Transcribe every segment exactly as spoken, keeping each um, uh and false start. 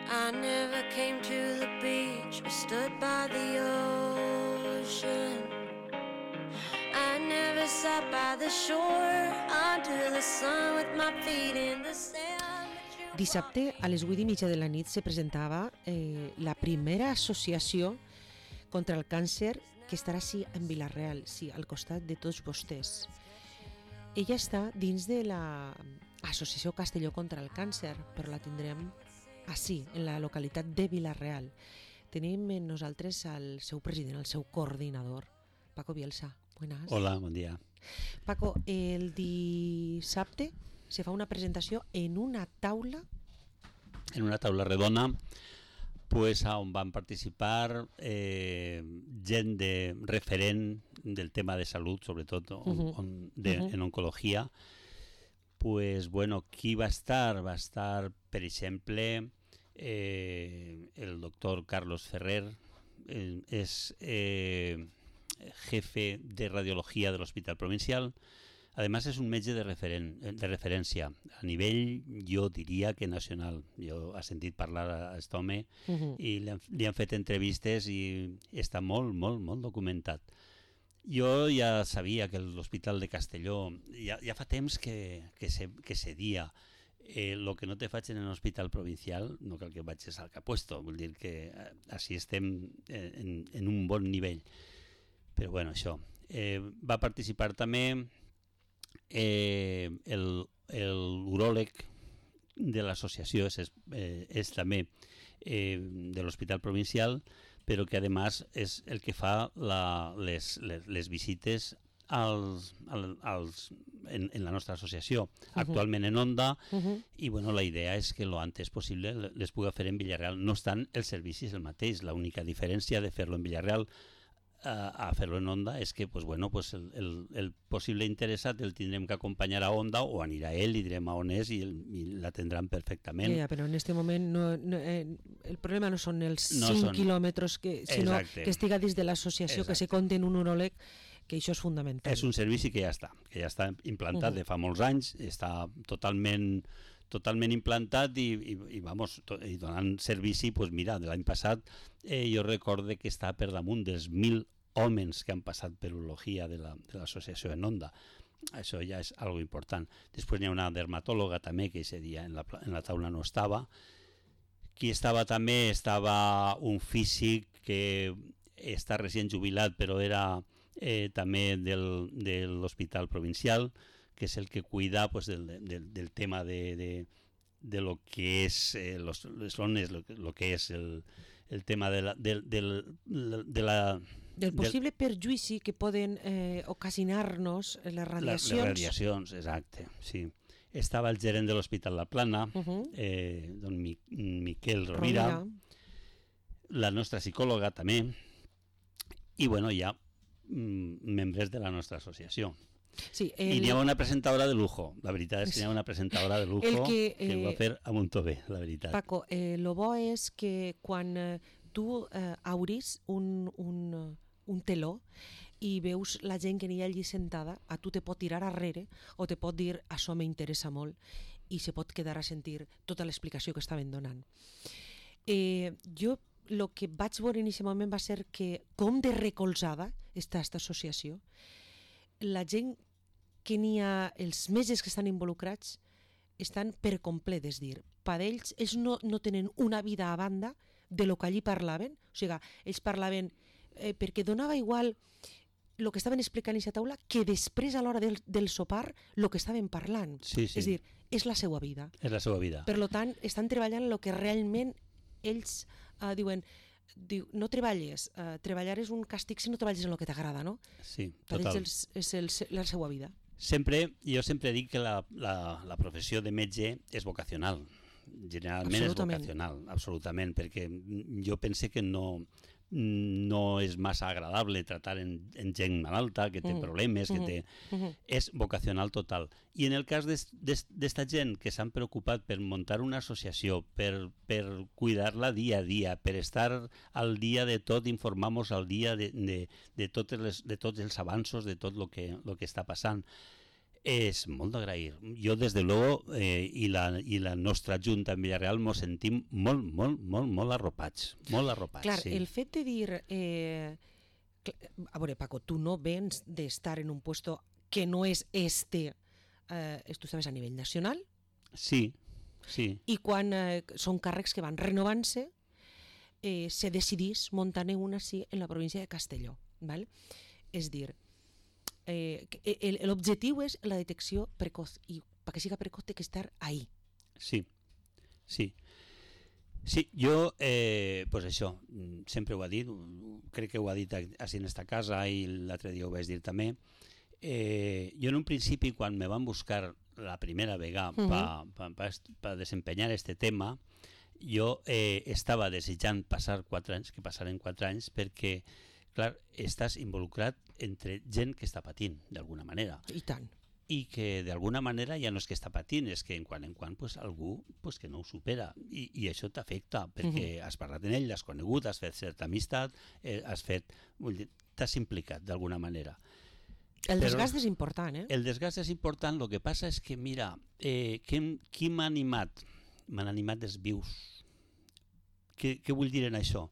I never came to the beach or stood by the ocean. I never sat by the shore under the sun with my feet in the sand. Dissabte a les vuit i mitja de la nit se presentava eh, la primera associació contra el càncer que estarà sí en Vila-real, sí, al costat de tots vostès. Ella està dins de l'Associació Castelló contra el Càncer, però la tindrem així, en la localitat de Vila-real. Tenim en nosaltres el seu president, el seu coordinador, Paco Bielsa. Buenas. Hola, bon dia. Paco, el dissabte se fa una presentació en una taula... En una taula redona, pues, on van participar eh, gent de referent del tema de salut, sobretot on, uh-huh. on, de, uh-huh. en oncologia. Pues, bueno, qui va estar? Va estar, per exemple, eh, el doctor Carlos Ferrer, eh, és eh, jefe de radiología del Hospital Provincial. Además es un metge de, referen de referència a nivell, jo diria que nacional. Jo he sentit parlar a aquest home uh-huh. i li han, li han fet entrevistes i està molt, molt, molt documentat. Jo ja sabia que l'Hospital de Castelló ja, ja fa temps que, que, se, que cedia. Eh, lo que no te faig en l'Hospital Provincial no cal que vagis al capuesto, vull dir que eh, així estem en, en un bon nivell. Però bueno, això. Eh, va participar també Eh, el, el uròleg de l'associació és, eh, és també eh, de l'Hospital Provincial, però que a més és el que fa la, les, les, les visites als, als, en, en la nostra associació, uh-huh. actualment en Onda, uh-huh. i bueno, la idea és que lo antes possible les pugui fer en Villarreal. No obstant, el servici és el mateix, l'única diferència de fer-lo en Villarreal a fer-lo en Onda és que pues, bueno, pues el, el, el possible interessat el tindrem que acompanyar a Onda o anirà ell i direm a on és i, el, i l'atendran perfectament. Ja, però en aquest moment no, no, eh, el problema no són els no cinc són... quilòmetres, que, sinó Exacte. que estiga dins de l'associació, que se compte en un uròleg, que això és fundamental. És un servici que ja està, que ja està implantat uh-huh. de fa molts anys, està totalment totalment implantat i, i, i, vamos, to, i donant servici, pues mira, de l'any passat eh, jo recorde que està per damunt dels mil homes que han passat per urologia de l'associació en Onda. Això ja és algo important. Després hi ha una dermatòloga també que ese dia en la, en la taula no estava. Qui estava també estava un físic que està recient jubilat però era eh, també del, de l'Hospital Provincial, que és el que cuida pues, del, del, del tema de, de, de lo que es eh, los, les zones, lo, lo que es el, el tema de la, de, de, de la... Del possible del, perjuïci que poden eh, ocasionar-nos les radiacions. Les radiacions, exacte, sí. Estava el gerent de l'Hospital La Plana, uh-huh. eh, don Mi, Miquel Rovira, Rovira, la nostra psicòloga també, i bueno, hi ha mm, membres de la nostra associació. Sí, el... I n'hi ha una presentadora de lujo, la veritat és que n'hi ha una presentadora de lujo que, que, eh, que ho va fer a Montó bé, la veritat. Paco, eh, lo bo és que quan eh, tu eh, obris un, un, un teló i veus la gent que n'hi ha allí sentada, a tu te pot tirar arrere o te pot dir això m'interessa molt i se pot quedar a sentir tota l'explicació que estaven donant. Eh, jo el que vaig veure en aquest moment va ser que com de recolzada està aquesta associació. La gent que n'hi ha, els metges que estan involucrats estan per complet, és dir, per ells, ells no, no tenen una vida a banda de lo que allí parlaven, o sigui, ells parlaven eh, perquè donava igual el que estaven explicant a aquesta taula que després a l'hora del, del sopar el que estaven parlant, sí, sí. És dir, és la seva vida. És la seva vida. Per tant, estan treballant el que realment ells eh, diuen, diu, no treballes, uh, treballar és un càstig si no treballes en el que t'agrada, no? Sí, total. Per ells és, el, la seva vida. Sempre, jo sempre dic que la, la, la professió de metge és vocacional. Generalment és vocacional, absolutament, perquè jo pense que no, no és massa agradable tratar en, en gent malalta, que té mm. problemes, que té... Mm-hmm. És vocacional total. I en el cas d'esta gent que s'han preocupat per muntar una associació, per, per cuidar-la dia a dia, per estar al dia de tot, informar-nos al dia de, de, de, totes les, de tots els avanços, de tot el que, lo que està passant, És molt d'agrair. Jo, des de luego, eh, i, la, i la nostra Junta en Villarreal mos sentim molt, molt, molt, molt arropats. Molt arropats, Clar, sí. el fet de dir... Eh, a veure, Paco, tu no vens d'estar en un puesto que no és este, eh, tu estaves a nivell nacional. Sí, sí. I quan eh, són càrrecs que van renovant-se, eh, se decidís muntar-ne una sí en la província de Castelló. Val? És dir, eh, l'objectiu és la detecció precoz i perquè siga precoz té que estar ahí. Sí, sí. Sí, jo, eh, pues això, sempre ho ha dit, crec que ho ha dit així en esta casa i l'altre dia ho vaig dir també. Eh, jo en un principi, quan me van buscar la primera vegada uh -huh. per pa, pa, pa desempenyar este tema, jo eh, estava desitjant passar quatre anys, que passaren quatre anys, perquè, clar, estàs involucrat entre gent que està patint, d'alguna manera. I tant. I que d'alguna manera ja no és que està patint, és que en quan en quan pues, algú pues, que no ho supera i, i això t'afecta, perquè uh -huh. has parlat amb ell, l'has conegut, has fet certa amistat, eh, has fet, t'has implicat d'alguna manera. El desgast Però, és important, eh? El desgast és important, el que passa és que, mira, eh, qui, qui m'ha animat? M'han animat els vius. Què, què vull dir en això?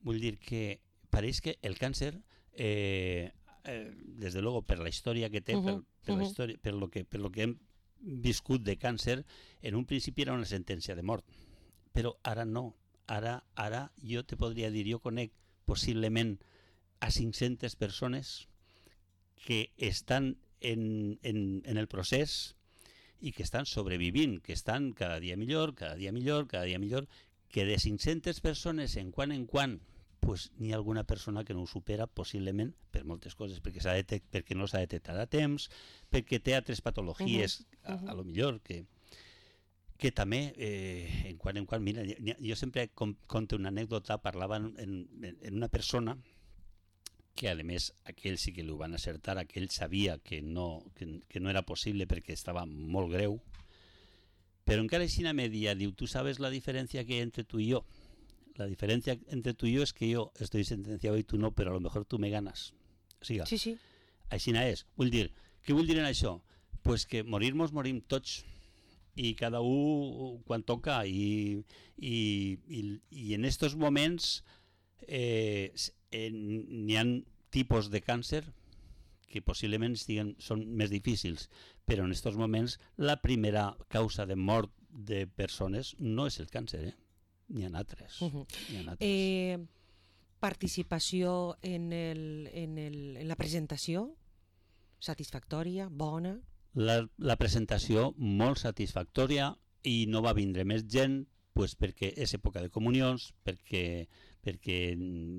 Vull dir que pareix que el càncer, eh, eh, des de luego per la història que té, uh -huh. per, per, la història, per, lo que, per lo que hem viscut de càncer, en un principi era una sentència de mort, però ara no. Ara, ara jo te podria dir, jo conec possiblement a cinc-centes persones que estan en, en, en el procés i que estan sobrevivint, que estan cada dia millor, cada dia millor, cada dia millor, que de cinc-centes persones en quan en quan pues, n'hi ha alguna persona que no ho supera possiblement per moltes coses, perquè, detect, perquè no s'ha detectat a temps, perquè té altres patologies, uh -huh. a, a lo millor, que, que també eh, en quan en quan, mira, jo sempre com, conto una anècdota, parlava en, en, en una persona que a més aquell sí que li van acertar, aquell sabia que no, que, que no era possible perquè estava molt greu, però encara així me dia, diu, tu sabes la diferència que hay entre tu y yo. La diferencia entre tú y yo es que yo estoy sentenciado y tú no, pero a lo mejor tú me ganas. O sigui, sí, sí. Aixina és. Vull dir, què vull dir en això? Pues que morir-nos morim tots i cada un quan toca i, i, i, i en estos moments eh, n'hi ha tipus de càncer que possiblement estiguen, són més difícils, però en estos moments la primera causa de mort de persones no és el càncer, eh? N'hi ha altres. Uh -huh. ha altres. Eh, participació en, el, en, el, en la presentació, satisfactòria, bona? La, la presentació molt satisfactòria i no va vindre més gent pues, perquè és època de comunions, perquè, perquè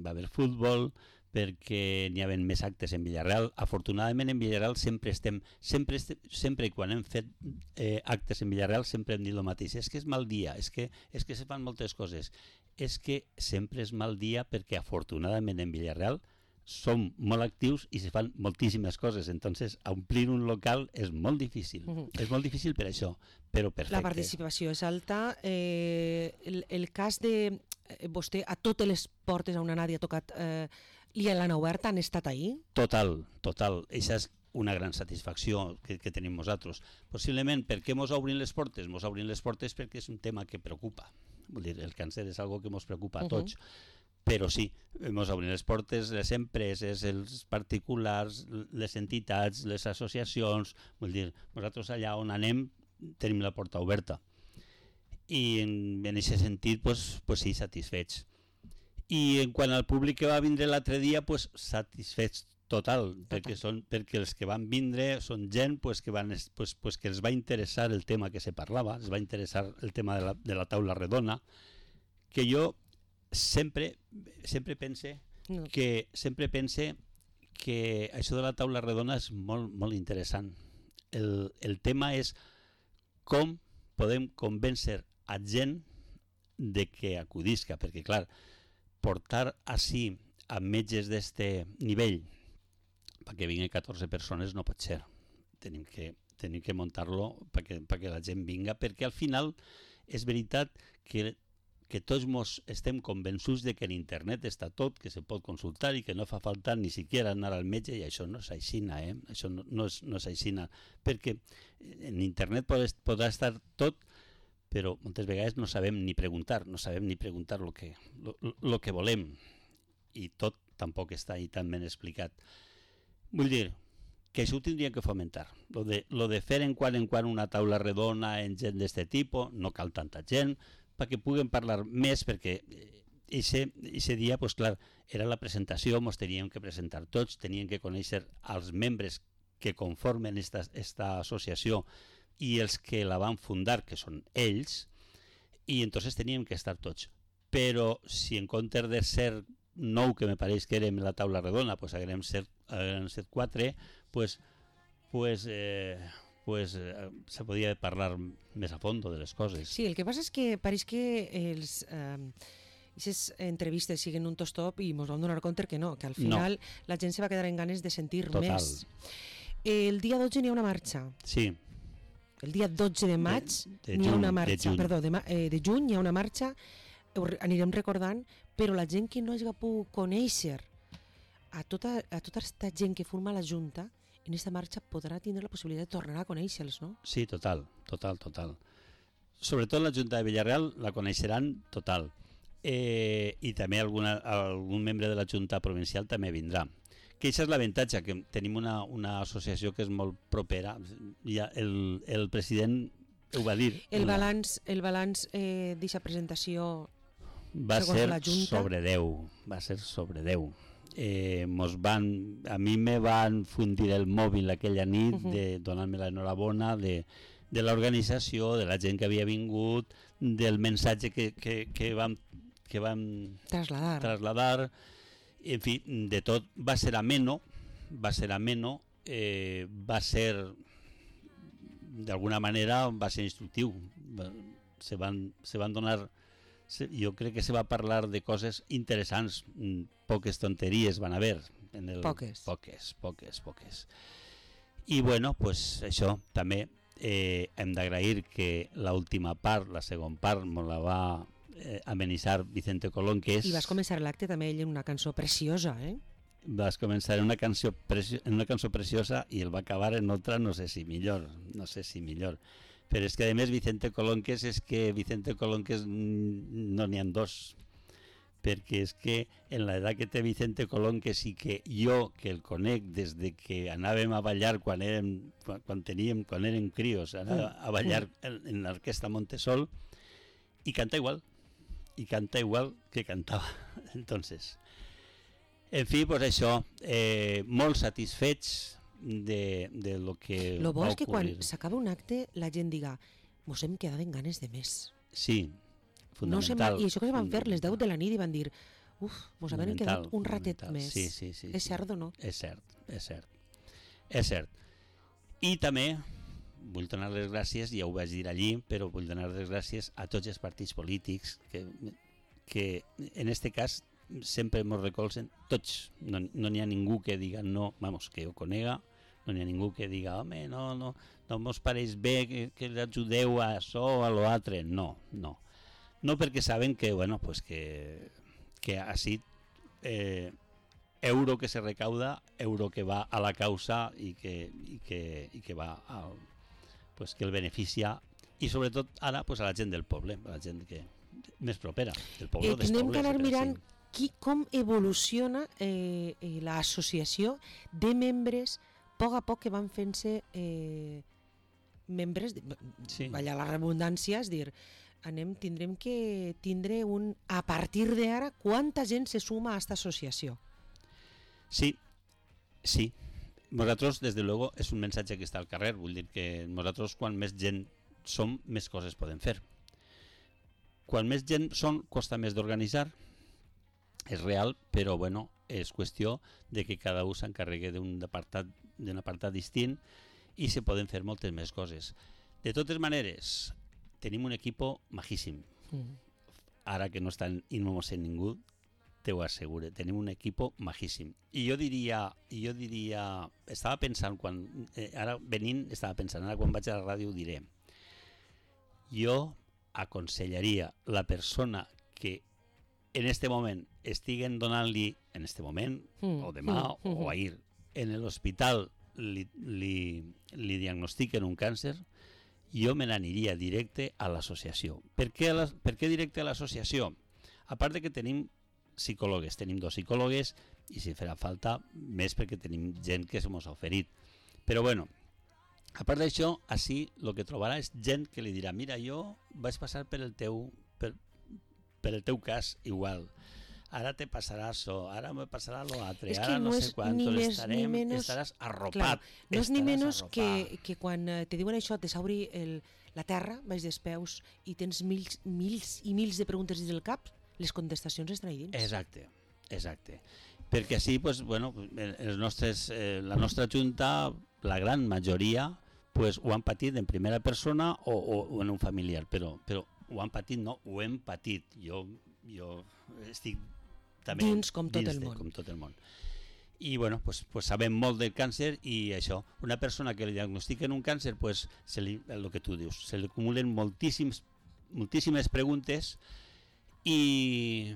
va haver futbol, perquè n'hi havia més actes en Villarreal. Afortunadament en Villarreal sempre estem, sempre, estem, sempre quan hem fet eh, actes en Villarreal sempre hem dit el mateix, és que és mal dia, és que, és que se fan moltes coses, és que sempre és mal dia perquè afortunadament en Villarreal som molt actius i se fan moltíssimes coses, entonces omplir un local és molt difícil, uh -huh. és molt difícil per això, però perfecte. La participació és alta, eh, el, el cas de eh, vostè a totes les portes on Nàdia ha tocat eh, i l'han obert, han estat ahí? Total, total. Això és una gran satisfacció que, que tenim nosaltres. Possiblement, per què mos obrin les portes? Mos obrin les portes perquè és un tema que preocupa. Vull dir, el càncer és algo que mos preocupa a tots. Uh -huh. Però sí, mos obrin les portes les empreses, els particulars, les entitats, les associacions. Vull dir, nosaltres allà on anem tenim la porta oberta. I en aquest sentit, pues, pues sí, satisfets. I en quant al públic que va vindre l'altre dia, pues, satisfets total, total. Perquè, són, perquè els que van vindre són gent pues, que, van, pues, pues, que els va interessar el tema que se parlava, els va interessar el tema de la, de la taula redona, que jo sempre, sempre pense no. que sempre pense que això de la taula redona és molt, molt interessant. El, el tema és com podem convèncer a gent de que acudisca, perquè clar, portar així a metges d'este nivell perquè vinguin catorze persones no pot ser. Tenim que, tenim que muntar-lo perquè, perquè la gent vinga, perquè al final és veritat que que tots mos estem convençuts de que en internet està tot, que se pot consultar i que no fa falta ni siquiera anar al metge, i això no és aixina, eh? Això no, no, és, no és aixina, perquè en internet pot, podrà estar tot, però moltes vegades no sabem ni preguntar, no sabem ni preguntar el que, lo, lo que volem, i tot tampoc està ahí tan ben explicat. Vull dir que això ho tindríem que fomentar. Lo de, lo de fer en quan en quan una taula redona en gent d'este tipus, no cal tanta gent, perquè puguem parlar més, perquè aquest dia, pues, clar, era la presentació, ens teníem que presentar tots, teníem que conèixer els membres que conformen esta, esta associació i els que la van fundar, que són ells, i entonces teníem que estar tots. Però si en comptes de ser nou, que me pareix que érem la taula redona, pues haguem set, haguem set quatre, pues, pues eh, pues eh, se podia parlar més a fondo de les coses. Sí, el que passa és que pareix que els aquestes eh, entrevistes siguen un tostop i ens vam donar compte que no, que al final no. La gent se va quedar en ganes de sentir Total. Més. El dia dotze n'hi ha una marxa. Sí. El dia dotze de maig de, de n'hi ha juny, una marxa, de perdó, de, eh, de juny n'hi ha una marxa, ho anirem recordant, però la gent que no hagi pogut conèixer a tota, a tota aquesta gent que forma la Junta, en aquesta marxa podrà tindre la possibilitat de tornar a conèixer-los, no? Sí, total, total, total. Sobretot la Junta de Villarreal la coneixeran total. Eh, I també alguna, algun membre de la Junta Provincial també vindrà. Que això és l'avantatge, que tenim una, una associació que és molt propera. Ja el, el president ho va dir. El balanç, el balanç eh, d'aquesta presentació va ser sobre deu. Va ser sobre deu. Eh, mos van, a mi me van fundir el mòbil aquella nit, uh-huh. de donar-me l'enhorabona de, de l'organització, de la gent que havia vingut, del mensatge que, que, que vam, que vam trasladar. trasladar. En fi, de tot va ser ameno, va ser ameno, eh, va ser, d'alguna manera, va ser instructiu. Se van, se van donar... Jo crec que se va parlar de coses interessants, poques tonteries van haver. En el... Poques. Poques, poques, poques. I bueno, pues això també eh, hem d'agrair que l'última part, la segona part, me la va eh, amenitzar Vicente Colón, que és... I vas començar l'acte també ell en una cançó preciosa, eh? Vas començar en una cançó, preci... en una cançó preciosa i el va acabar en otra, no sé si millor, no sé si millor. Però és que a més Vicente Colonques és que Vicente Colonques no n'hi ha dos, perquè és que en l'edat que té Vicente Colonques i que jo, que el conec des de que anàvem a ballar quan érem, quan teníem, quan érem crios, anàvem a ballar en, en l'orquestra Montesol, i canta igual, i canta igual que cantava. Entonces, en fi, pues això, eh, molt satisfets de, de lo que lo bo va és que quan ocurrir. s'acaba un acte la gent diga, mos hem quedat en ganes de més. Sí, No fonamental. I això que van fer les deu de la nit i van dir, uf, mos hem quedat un ratet més. Sí, sí, sí, és sí. cert o no? És cert, és cert. És cert. I també vull donar les gràcies, ja ho vaig dir allí, però vull donar les gràcies a tots els partits polítics que, que en este cas sempre ens recolzen tots. No n'hi ha ningú que diga no, vamos, que ho conega, no n'hi ha ningú que diga, home, no, no, no mos pareix bé que, que l'ajudeu a això o a l'altre. No, no. No perquè saben que, bueno, pues que, que així eh, euro que se recauda, euro que va a la causa i que, i que, i que va al, pues que el beneficia, i sobretot ara pues a la gent del poble, a la gent que més propera del poble. Eh, Tindrem que anar mirant qui, com evoluciona eh, eh, l'associació de membres a poc a poc que van fent-se eh, membres, de, sí. Vaya la redundància, és dir, anem, tindrem que tindre un, a partir d'ara, quanta gent se suma a aquesta associació? Sí, sí. Nosaltres, des de luego, és un mensatge que està al carrer, vull dir que nosaltres, quan més gent som, més coses podem fer. Quan més gent són, costa més d'organitzar, és real, però bueno, és qüestió de que cada un s'encarregui d'un apartat, d'un apartat distint i se poden fer moltes més coses. De totes maneres, tenim un equipo majíssim. Mm. Ara que no està inmomosent ningú, te ho asseguro, tenim un equipo majíssim. I jo diria, jo diria, estava pensant, quan, eh, ara venint, estava pensant, ara quan vaig a la ràdio ho diré. Jo aconsellaria la persona que en este moment estiguen donant-li, en este moment, mm, o demà, mm, o ahir, en l'hospital li, li, li diagnostiquen un càncer, jo me n'aniria directe a l'associació. Per què, la, per què directe a l'associació? A part de que tenim psicòlogues, tenim dos psicòlogues, i si farà falta, més perquè tenim gent que se mos ha oferit. Però bueno, a part d'això, així el que trobarà és gent que li dirà, mira, jo vaig passar per el teu, per, per el teu cas igual, ara te passarà això, ara me passarà l'altre, ara no, no sé quantos, estarem, menos, estaràs arropat. Clar, no és ni menys que, que quan te diuen això, te s'obri la terra, baix dels peus, i tens mils, mils i mils de preguntes dins del cap, les contestacions estan ahí dins. Exacte, exacte. Perquè així, pues, bueno, els nostres, eh, la nostra junta, la gran majoria, pues, ho han patit en primera persona o, o, o en un familiar, però, però ho han patit, no, ho hem patit. Jo, jo estic també dins com tot, dins el de, món. com tot el món. I bueno, pues, pues sabem molt del càncer i això, una persona que li diagnostiquen un càncer, pues, se li, el que tu dius, se li acumulen moltíssims, moltíssimes preguntes i...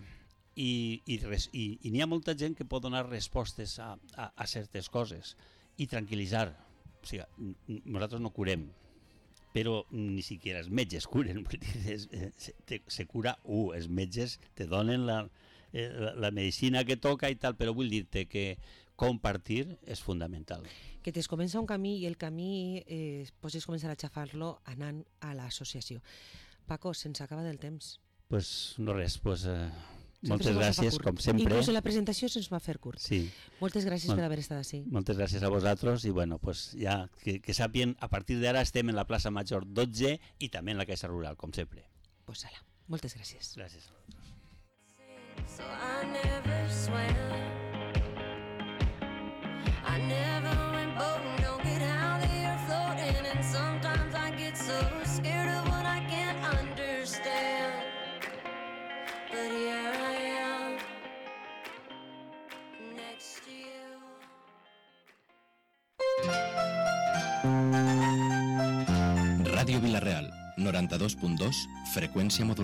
i, i, res, i, i n'hi ha molta gent que pot donar respostes a, a, a certes coses i tranquil·litzar. O sigui, nosaltres no curem, però ni siquiera els metges curen. Se, se cura u, els metges te donen la, la, la medicina que toca i tal, però vull dir-te que compartir és fundamental. Que es comença un camí i el camí eh, pots començar a xafar-lo anant a l'associació. Paco, se'ns acaba del temps. Pues no res, pues... Eh... Moltes gràcies, com sempre. Inclús en la presentació se'ns va fer curt. Sí. Moltes gràcies Mol per haver estat així. Moltes gràcies a vosaltres i bueno, pues ja que, que sàpien, a partir d'ara estem en la plaça Major dotze i també en la Caixa Rural, com sempre. Pues ala, moltes gràcies. Gràcies a vosaltres. So I never swam, I never went boating, don't get out there floating, and sometimes I get so scared of what I can't understand. But here I am, next to you. Ràdio Vila-real, noranta-dos punt dos, freqüència modulada.